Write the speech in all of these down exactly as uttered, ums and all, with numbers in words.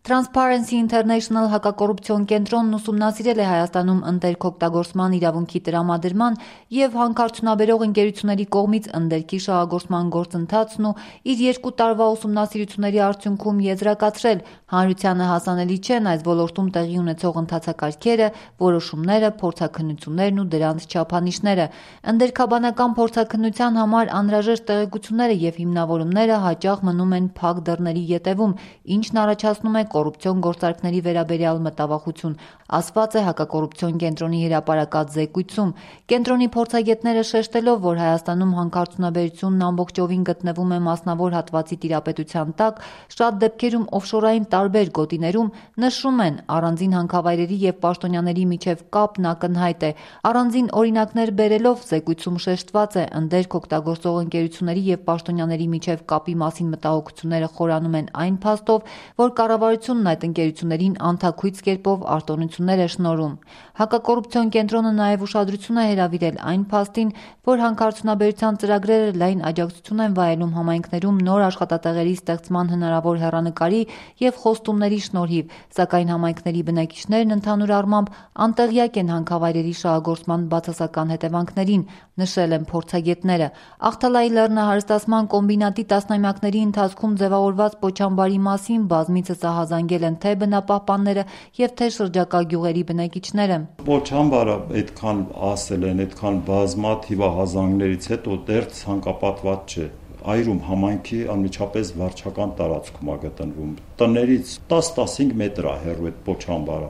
Transparency International հակակոռուպցիոն կենտրոնն ուսումնասիրել է Հայաստանում ընդերք օգտագործման իրավունքի տրամադրման և հանքարդյունաբերող ընկերությունների կողմից ընդերքի շահագործման գործընթացն ու իր երկու տարվա ուսումնասիրությունների արդյունքում եզրակացրել հանրությանը հասանելի չեն այս ոլորտում տեղի ունեցող ընթացակարգերը, որոշումները, փորձաքննություններն ու դրանց չափանիշները։ Ընդերքաբանական փորձաքննության համար անհրաժեշտ տեղեկությունները և հիմնավորումները հաճախ մնում են փակ դռների ետևում, ինչն առաջացնում է կոռուպցիոն գործարքների վերաբերյալ մտավախություն, ասված է հակակոռուպցիոն կենտրոնի հրապարակած զեկույցում։ Կենտրոնի փորձագետները շեշտելով, որ Հայաստանում հանքարդյունաբերությունն ամբողջովին գտնվում է մասնավոր հատվածի տիրապետության տակ, շատ դեպքերում օֆշորային տարբեր գոտիներում, նշում են, առանձին հանքավայրերի և պաշտոնյաների միջև կապն ակնհայտ է։ Առանձին օրինակներ բերելով զեկույցում շեշտված է, ընդերք օգտագործող ընկերությունների և պաշտոնյաների միջև կապի մասին մտահոգությունները խորանում են այն փաստով, որ կառավարությունն այդ ընկերություններին անթաքույց կերպով արտոնություններ է շնորհում։ Հակակոռուպցիոն կենտրոնը նաև ուշադրություն է հրավիրել այն փաստին, որ հանքարդյունաբերության ծրագրերը լայն աջակցություն են վայելում համայնքներում նոր աշխատատեղերի ստեղծման հնարավոր հեռանկարի և խոստումների շնորհիվ, սակայն համայնքների բնակիչներն ընդհանուր առմամբ անտեղյակ են հանքավայրերի շահագործման բացասական հետևանքներին, նշել են փորձագետները։ Ախթալայի լեռնահարստացման կոմբինատի տասնամյակների ընթացքում ձևավորված Պոչամբարի մասին բազմիցս ահազանգել են թե բնապահպանները և թե շրջակա գյուղերի բնակիչները։ Պոչամբարը այդքան ասել են, այդքան բազմաթիվ ահազանգներից հետո դեռ ցանկապատված չէ։ Այրում համայնքի անմիջապես վարչական տարածքում է գտնվում։ Տներից տաս-տասնհինգ մետր է հեռու այդ Պոչամբարը։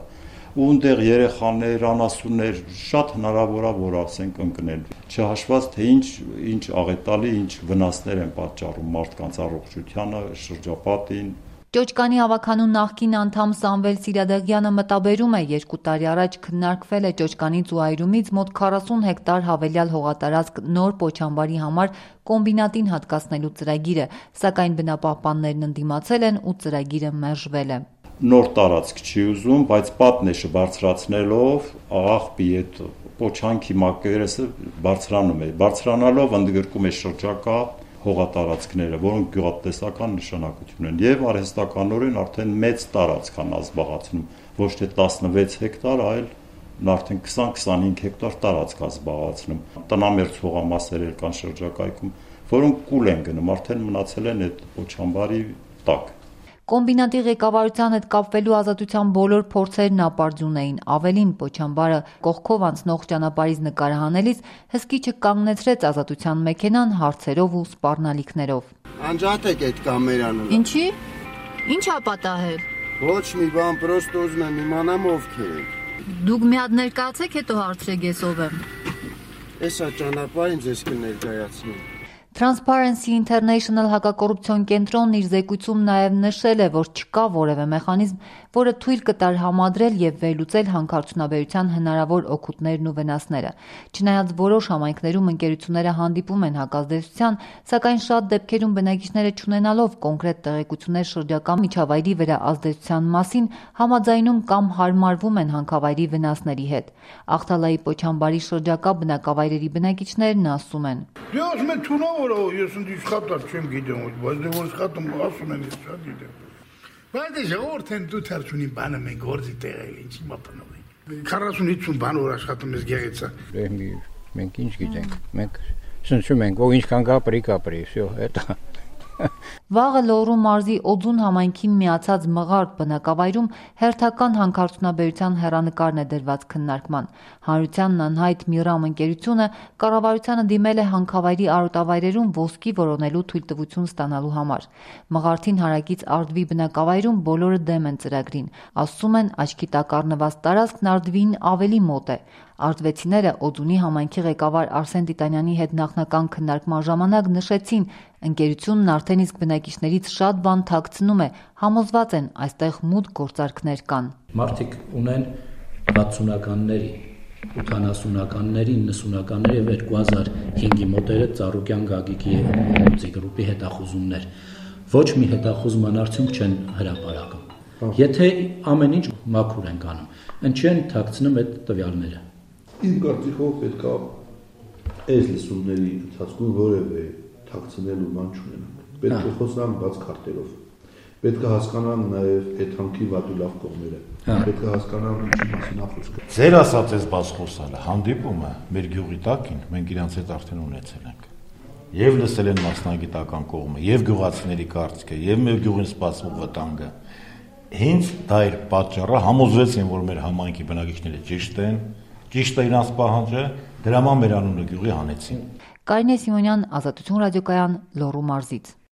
Ու այնտեղ երեխաներ, անասուններ շատ հնարավոր է, որ ասենք ընկնել։ Չհաշված թե ինչ ինչ աղետալի, ինչ վնասներ են պատճառում մարդկանց առողջությանը, շրջապատին։ Ճոճկանի ավագանու նախկին անդամ Սամվել Սիրադեղյանը մտաբերում է, երկու տարի առաջ քննարկվել է Ճոճկանից ու այրումից մոտ քառասուն հեկտար հավելյալ հողատարածք նոր Պոչամբարի համար կոմբինատին հատկացնելու ծրագիրը, սակայն բնապահպաններն ընդդիմացել են ու ծրագիրը մերժվել է։ Նոր տարածք չի ուզում, բայց պատնեշը բարձրացնելով աղբի այդ Պոչանքի մակերեսը բարձրանում է, բարձրանալով ընդգրկում է շրջակա հողատարածքները, որոնք գյուղատնտեսական նշանակություն են եւ արհեստականորեն արդեն մեծ տարածք են զբաղեցնում, ոչ թե տասնվեց հեկտար, այլ արդեն քսան-քսանհինգ հեկտար տարածք է զբաղեցնում։ Տնամերձ հողամասեր կան շրջակայքում, որոնք կուլ են գնում, արդեն մնացել են այդ Պոչամբարի տակ։ Կոմբինատի ղեկավարության հետ կապվելու ազատության բոլոր փորձերն ապարդյուն էին։ Ավելին, Պոչամբարը կողքով անցնող ճանապարհից նկարահանելիս հսկիչը կանգնեցրեց ազատության մեքենան հարցերով ու սպառնալիքներով։ Անջատեք այդ կամերան։ Ինչի՞։ Ինչ ա պատահել։ Ոչ մի բան, պրոստը ուզում եմ իմանամ ովքեր եք։ Դուք մի հատ ներկայացեք, հետո հարցրեք ես ով եմ։ Էսա ճանապարհին ձեզ կներկայացնեմ։ Transparency International հակակոռուպցիոն կենտրոնն իր զեկույցում նաև նշել է, որ չկա որևէ մեխանիզմ, որը թույլ կտար համադրել և վերլուծել հանքարդյունաբերության հնարավոր օգուտներն ու վնասները։ Չնայած որոշ համայնքներում ընկերությունները հանդիպում են հակազդեցության, սակայն շատ դեպքերում բնակիչները չունենալով կոնկրետ տեղեկություններ շրջակա միջավայրի վրա ազդեցության մասին, համաձայնում կամ հարմարվում են հանքավայրի վնասների հետ։ Ախթալայի Պոչամբարի շրջակա բնակավայրերի բնակիչներն ասում են. Ես ընդ իշխատար չեմ գիտեմ, բայց դե որ իշխատում ասում են ես շատ գիտեմ։ Բայց դե ժողովուրդ են դու թերցունի բանը մենք գործի տեղ է, ինչի մապնով ենք։ քառասուն-հինգ բան որ աշխատում ես գեղեցա։ Մենք ինչ գիտենք, մենք սնչում ենք, ով ինչքան կապրի, կապրի, всё, это։ Վաղը Լոռու մարզի Օձուն համայնքին միացած Մղարդ բնակավայրում հերթական հանքարդյունաբերության հեռանկարն է դրված քննարկման։ Հանրությանն անհայտ Միրամ ընկերությունը կառավարությանը դիմել է հանքավայրի արոտավայրերում ոսկի որոնելու թույլտվություն ստանալու համար։ Մղարդին հարակից Արդվի բնակավայրում բոլորը դեմ են ծրագրին։ Ասում են, աչքի տակ առնված տարածքն Արդվին ավելի մոտ է։ Արդվեցիները Օձունի համայնքի ղեկավար Արսեն Տիտանյանի հետ նախնական քննարկման ժամանակ նշեցին, ընկերությունն արդեն իսկ բնակիչներից շատ բան թաքցնում է, համոզված են այստեղ մութ գործարքներ կան։ Մարդիկ ունեն վաթսունականների, ութանասունականների, իննսունականների և երկու հազար հինգի մոտերը Ծառուկյան Գագիկի և գրուպի հետախուզումներ։ Ոչ մի հետախուզման արդյունք չեն հրապարակում։ Եթե ամեն ինչ մաքուր են կանում, ինչի են թաքցնում այդ տվյալները։ Իմ կարծիքով պետք է այս լսումների ընթացքում որևէ թաքցնելու բան չունենանք։ Պետք է խոսանք բաց քարտերով։ պետք է հասկանան նաև այդ հանքի վատ ու լավ կողմերը։ Պետք է հասկանան ինչի մասին է խոսքը։ Ձեր ասած այս բացխոսալը հանդիպումը մեր գյուղի տակին մենք իրանց հետ արդեն ունեցել ենք։ Եվ լսել են մասնագիտական կողմը, եւ գյուղացիների կարծիքը, եւ մեր գյուղին սպասող վտանգը։ Հենց դա էր պատճառը, համոզվեցին, որ մեր համայնքի բնակիչները ճիշտ են, ճիշտ է իրանց պահանջը, դրա համար մեր անունը գյուղի հանեցին։ Կարինե Սիմոնյան, Ազատություն ռադիոկայան, Լոռու մարզից։